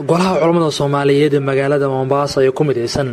Golaha culamada Soomaaliyeed ee magaalada Mombasa ee ku midaysan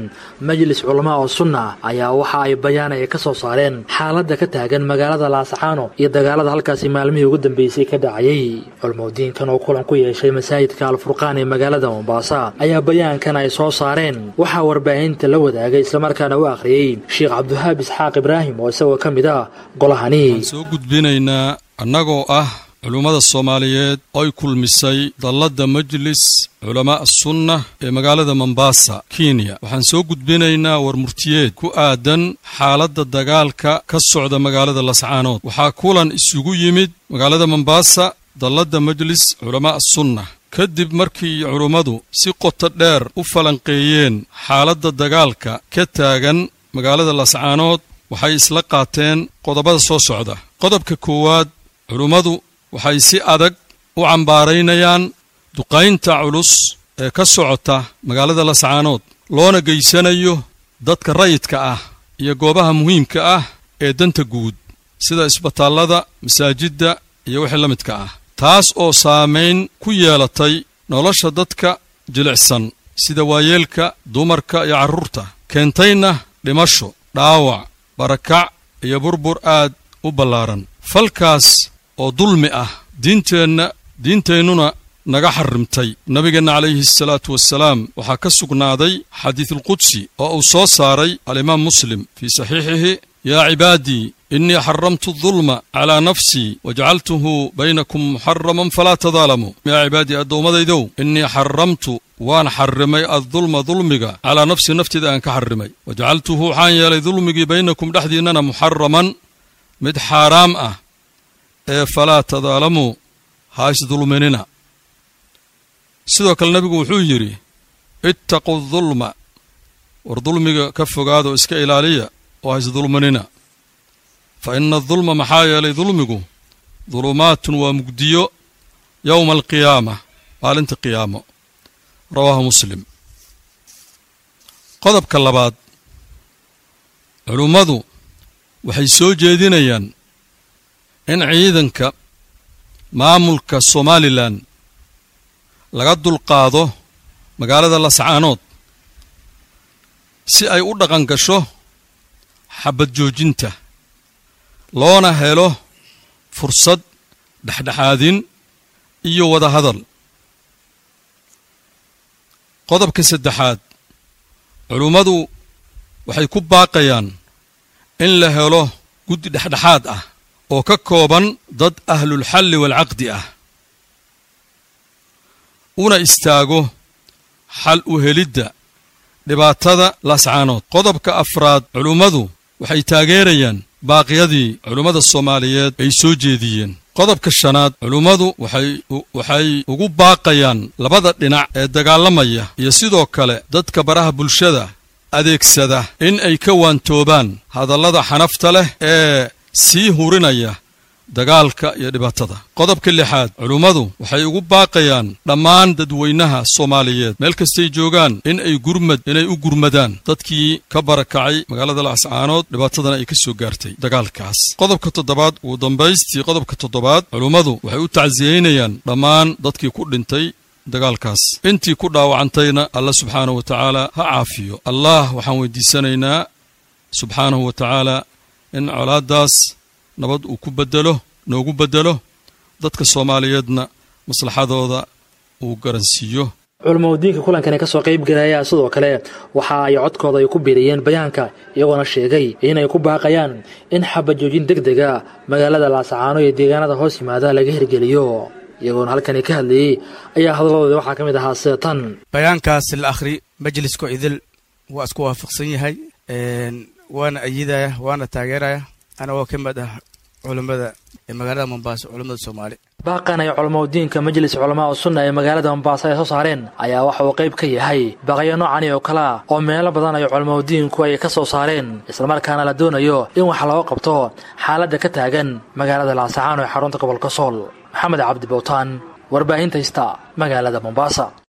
Majlis Culamaa oo Sunna ayaa waxa ay bayaan ay ka soo saareen xaaladda ka taagan magaalada Laascaano iyo dagaalada halkaasi maalmihii ugu dambeysay ka dhacayay. Culimadiinkan oo kulan ku yeeshay masaajidka Al-Furqaan ee magaalada Mombasa ayaa bayaankan ay soo saareen waxaa warbaahinta la wadaagay islamarkaana u akhriyay Sheekh Cabdiwahaab Isxaaq Ibraahim oo isagoo ka mid ah golahani. Waxaan soo gudbinaynaa annagoo ah culummada Soomaaliyeed oy kulmisay dalladda Majlis Culamaa Sunna ee magaalada Mombasa, Kenya. Waxaan soo gudbinaynaa war murtiyeed ku aadan xaaladda dagaalka ka socda magaalada Lascaanood. Waxaa kulan isugu yimid magaalada Mombasa dalladda Majlis Culamaa Sunna kadib markii culummadu si qoto dheer u falanqeeyeen xaaladda dagaalka ka taagan magaalada Lascaanood. Waxay isla qaateen qodobada soo socda. Qodobka koowaad, culummadu waxay si adag u cambaaraynayaan duqaynta culus ee ka socota magaalada Lascaanood, loona geysanayo dadka rayidka ah iyo goobaha muhiimka ah ee danta guud sida isbitaallada, masaajidda iyo wixii la midka ah, taas oo saamayn ku yeelatay nolosha dadka jilicsan sida waayeelka, dumarka iyo carruurta, keentayna dhimasho, dhaawac, barakac iyo burbur aad u ballaaran. Falkaas oo dulmi ah diinteenna diinteennuna naga xarrimtay. Nabigeenna calayhi salaatu wasalaam waxaa ka sugnaaday xadiisulqudsi oo uu soo saaray alimaam Muslim fii saxiixihi: yaa cibaadii, innii xaramtu adulma calaa nafsii wajacaltuhu baynakum muxaraman falaa tadaalamuu. Yaa cibaadii, addoommadaydow, innii xaramtu, waan xarrimay, addulma, dulmiga, calaa nafsii, nafteyda aan ka xarrimay, wajacaltuhu, waxaan yeelay dulmigii, baynakum, dhexdiinnana, muxaraman, mid xaaraam ah ee, falaa tadaalamuu, ha isdulminina. Sidoo kale nebigu wuxuu yidhi: ittaquu dulma, war dulmiga ka fogaado, iska ilaaliya oo ha isdulminina, fa ina adulma, maxaa yeelay dulmigu, dulumaatun, waa mugdiyo, yowma alqiyaama, maalinta qiyaamo. Rawaahu Muslim. Qodobka labaad, culummadu waxay soo jeedinayaan in ciidanka maamulka Somalilan laga dulqaado magaalada Lascaanood si ay u dhaqan gasho xabad joojinta, loona helo fursad dhexdhexaadin iyo wada hadal. Qodobka saddexaad, culummadu waxay ku baaqayaan in la helo guddi dhexdhexaad ah oo ka kooban dad ahlulxalli waalcaqdi ah, una istaago xal u helidda dhibaatada Laascaanood. Qodobka afraad, culummadu waxay taageerayaan baaqyadii culummada Soomaaliyeed ay soo jeediyeen. Qodobka shanaad, culummadu waxay ugu baaqayaan labada dhinac ee dagaalamaya iyo sidoo kale dadka baraha bulshada adeegsada in ay ka waantoobaan hadallada xanafta leh ee sii hurinaya dagaalka iyo dhibaatada. Qodobka lixaad, culummadu waxay ugu baaqayaan dhammaan dadweynaha Soomaaliyeed meel kastay joogaan in ay gurmad inay u gurmadaan dadkii ka barakacay magaalada Laascaanood, dhibaatadana ay ka soo gaartay dagaalkaas. Qodobka toddobaad, ugu dambaystii qodobka toddobaad, culummadu waxay u tacsiyeynayaan dhammaan dadkii ku dhintay dagaalkaas, intii ku dhaawacantayna Alla subxaanahu wa tacaala ha caafiyo. Allah waxaan weydiisanaynaa subxaanahu wa tacaala in colaaddaas nabad uu ku bedelo, noogu beddelo, dadka Soomaaliyeedna maslaxadooda uu garansiiyo. Culamaudiinka kulankani kasoo qayb galaya sidoo kale waxa ay codkooda ay ku biiriyeen bayaanka, iyagoona sheegay inay ku baaqayaan in xabad joojin deg dega magaalada Laasacaano iyo deegaanada hoos yimaada laga hirgeliyo. Iyagoona halkani ka hadlayey ayaa hadalladooda waxaa ka mid ahaa sida tan: Bayaankaas la akhri majlisko idil waa isku waafaqsan yahay, waana ayidaya, waana taageeraya, anagoo ka mid ah culummada ee magaalada Mombasa, culummada Soomaali. Baaqan ay culamaudiinka Majlis Culamaa oo Sunna ee magaalada Mombasa ay soo saareen ayaa waxa uu qayb ka yahay baqyo noocani oo kalea oo meelo badan ay culamaudiinku ay ka soo saareen, islamarkaana la doonayo in wax looga qabto xaaladda ka taagan magaalada Laasacaano ee xarunta gobolka Sool. Maxamed Cabdi Bowtaan, warbaahinta Hista, magaalada Mombasa.